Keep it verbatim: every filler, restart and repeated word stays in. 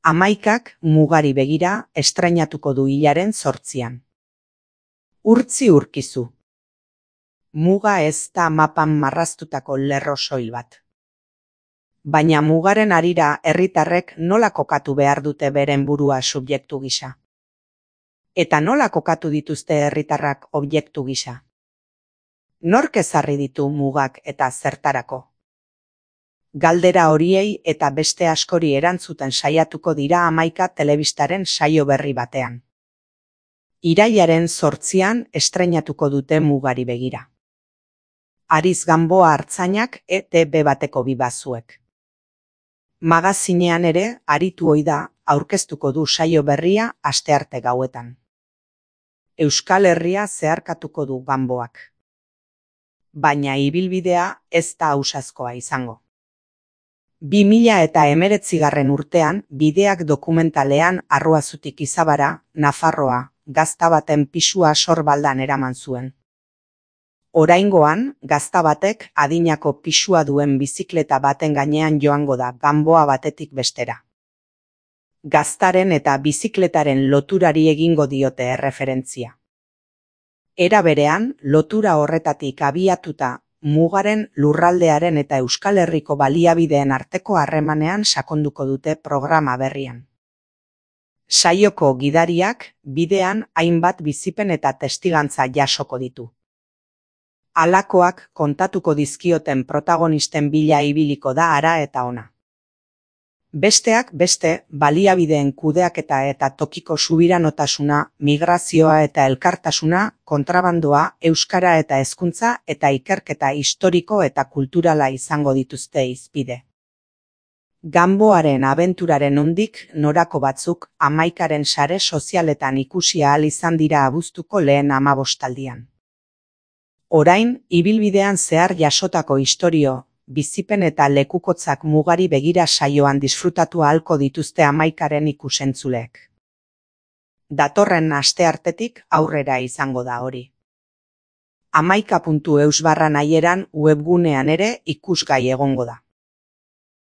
Hamaikak mugari begira estreinatuko du hilaren zortzian. Urtzi urkizu. Muga ez da mapan marraztutako lerro soil bat. Baina mugaren harira herritarrek nola kokatu behar dute beren burua subjektu gisa? Eta nola kokatu dituzte herritarrak objektu gisa? Nork ezarri ditu mugak eta zertarako? Galdera horiei eta beste askori erantzuten saiatuko dira Hamaika telebistaren saio berri batean. Irailaren zortzian estreinatuko dute mugari begira. Ariz Gamboa Artzainak E T B bateko bibazuek. Magazinean ere aritu ohi da aurkeztuko du saio berria astearte gauetan. Euskal Herria zeharkatuko du Gamboak. Baina ibilbidea ez da ausazkoa izango. bi mila eta hemeretzigarren urtean bideak dokumentalean Arruazutik Izabara, Nafarroa, gazta baten pisua sorbaldan eraman zuen. Oraingoan, gazta batek adinako pisua duen bizikleta baten gainean joango da Gamboa batetik bestera. Gaztaren eta bizikletaren loturari egingo diote erreferentzia. Era berean, lotura horretatik abiatuta mugaren, lurraldearen eta Euskal Herriko baliabideen arteko harremanean sakonduko dute programa berrian. Saioko gidariak bidean hainbat bizipen eta testigantza jasoko ditu. Halakoak kontatuko dizkioten protagonisten bila ibiliko da hara eta ona. Besteak beste, baliabideen kudeaketa eta tokiko subiranotasuna, migrazioa eta elkartasuna, kontrabandoa, euskara eta hezkuntza eta ikerketa historiko eta kulturala izango dituzte hizpide. Gamboaren abenturaren nondik norako batzuk Hamaikaren sare sozialetan ikusi ahal izan dira abuztuko lehen hamabostaldian. Orain, ibilbidean zehar jasotako istorio, bizipen eta lekukotzak mugari begira saioan disfrutatu ahalko dituzte Hamaikaren ikusentzuleek. Datorren asteartetik aurrera izango da hori. hamaika puntu eus barra nahieran webgunean ere ikusgai egongo da.